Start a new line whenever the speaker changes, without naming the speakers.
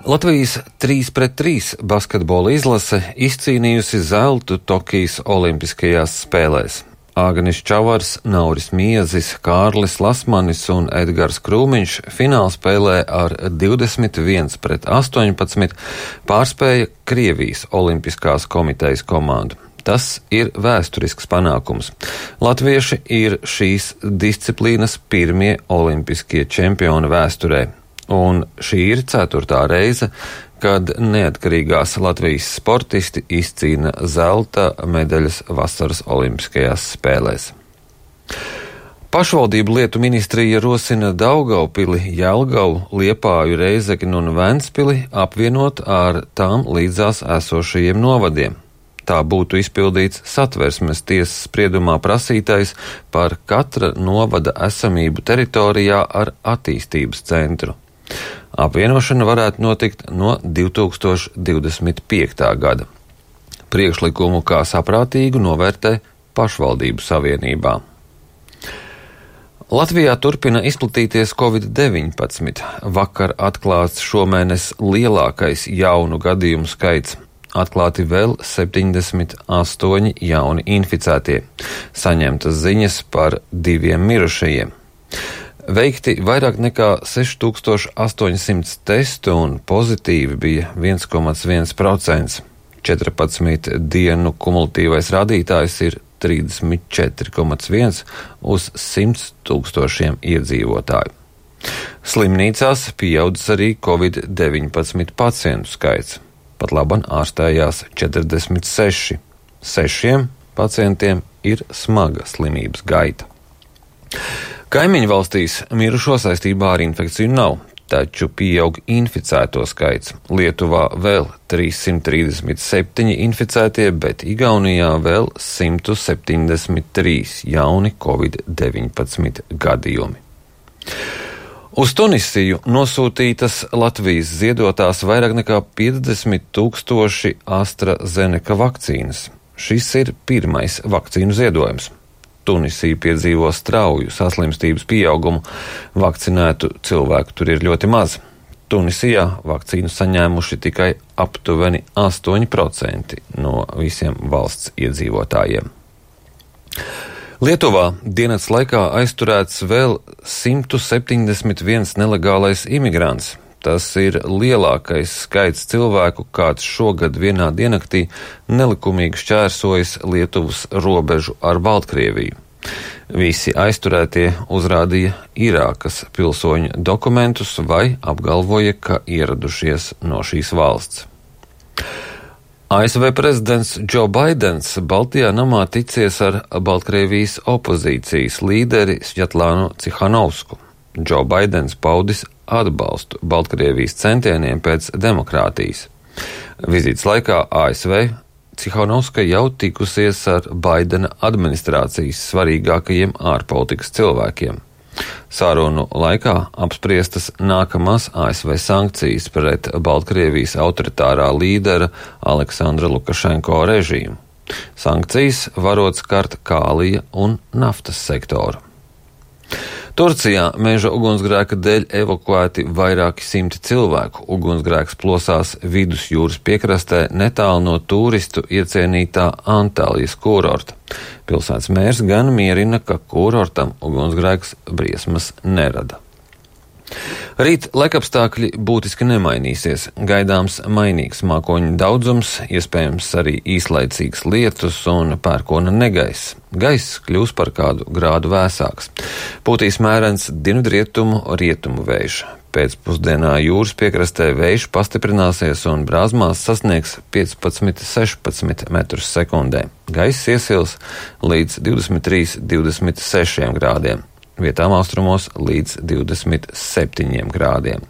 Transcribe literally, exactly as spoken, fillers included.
Latvijas trīs pret trīs basketbola izlase izcīnījusi zeltu Tokijas Olimpiskajās spēlēs. Āganis Čavars, Nauris Miezis, Kārlis Lasmanis un Edgars Krūmiņš finālspēlē ar divdesmit viens pret astoņpadsmit pārspēja Krievijas Olimpiskās komitejas komandu. Tas ir vēsturisks panākums. Latvieši ir šīs disciplīnas pirmie olimpiskie čempioni vēsturē. Un šī ir ceturtā reize, kad neatkarīgās Latvijas sportisti izcīna zelta medaļas vasaras olimpiskajās spēlēs. Pašvaldību lietu ministrija rosina Daugavpili, Jelgavu, Liepāju, Reizekni un Ventspili apvienot ar tām līdzās esošajiem novadiem. Tā būtu izpildīts Satversmes tiesas spriedumā prasītais par katra novada esamību teritorijā ar attīstības centru. Apvienošana varētu notikt no divi tūkstoši divdesmit piektā gada. Priekšlikumu kā saprātīgu novērtē pašvaldību savienībā. Latvijā turpina izplatīties covid deviņpadsmit. Vakar atklāts šomēnes lielākais jaunu gadījumu skaits. Atklāti vēl septiņdesmit astoņi jauni inficētie. Saņemtas ziņas par diviem mirušajiem. Veikti vairāk nekā seši tūkstoši astoņsimt testu un pozitīvi bija viens komats viens procents. četrpadsmit dienu kumulatīvais rādītājs ir trīsdesmit četri komats viens uz simts tūkstošiem iedzīvotāju. Slimnīcās pieaudzis arī covid deviņpadsmit pacientu skaits. Pat laban ārstējās četrdesmit seši. Sešiem pacientiem ir smaga slimības gaita. Kaimiņu valstīs mirušo saistībā ar infekciju nav, taču pieaug inficēto skaits. Lietuvā vēl trīssimt trīsdesmit septiņi inficētie, bet Igaunijā vēl simt septiņdesmit trīs jauni covid deviņpadsmit gadījumi. Uz Tunisiju nosūtītas Latvijas ziedotās vairāk nekā piecdesmit tūkstoši AstraZeneca vakcīnas. Šis ir pirmais vakcīnu ziedojums. Tunisija piedzīvo strauju saslimstības pieaugumu, vakcinētu cilvēku tur ir ļoti maz. Tunisijā vakcīnu saņēmuši tikai aptuveni astoņi procenti no visiem valsts iedzīvotājiem. Lietuvā dienas laikā aizturēts vēl simt septiņdesmit viens nelegālais imigrants. Tas ir lielākais skaits cilvēku, kāds šogad vienā diennaktī nelikumīgi šķērsojas Lietuvas robežu ar Baltkrieviju. Visi aizturētie uzrādīja Irākas pilsoņu dokumentus vai apgalvoja, ka ieradušies no šīs valsts. A S V prezidents Džo Baidens Baltijā namā ticies ar Baltkrievijas opozīcijas līderi Svjatlānu Cihanovsku. Džo Baidens paudis atbalstu Baltkrievijas centieniem pēc demokrātijas. Vizītes laikā A S V Cihanovska jau tikusies ar Baidena administrācijas svarīgākajiem ārpolitikas cilvēkiem. Sarunu laikā apspriestas nākamās A S V sankcijas pret Baltkrievijas autoritārā līdera Aleksandra Lukašenko režīmu. Sankcijas varot skart kālija un naftas sektoru. Turcijā meža ugunsgrēka dēļ evakuēti vairāki simti cilvēku. Ugunsgrēks plosās vidusjūras piekrastē netālu no turistu iecienītā Antalijas kurorta. Pilsētas mērs gan mierina, ka kurortam ugunsgrēks briesmas nerada. Rīt laikapstākļi būtiski nemainīsies. Gaidāms mainīgs mākoņu daudzums, iespējams arī īslaicīgs lietus un pērkona negaiss. Gaiss kļūs par kādu grādu vēsāks. Pūtīs mērens dienvidrietumu rietumu vējš. Pēcpusdienā jūras piekrastē vējš pastiprināsies un brāzmās sasniegs piecpadsmit sešpadsmit metrus sekundē. Gaiss iesils līdz divdesmit trīs līdz divdesmit sešiem grādiem. Vietām austrumos līdz divdesmit septiņiem grādiem.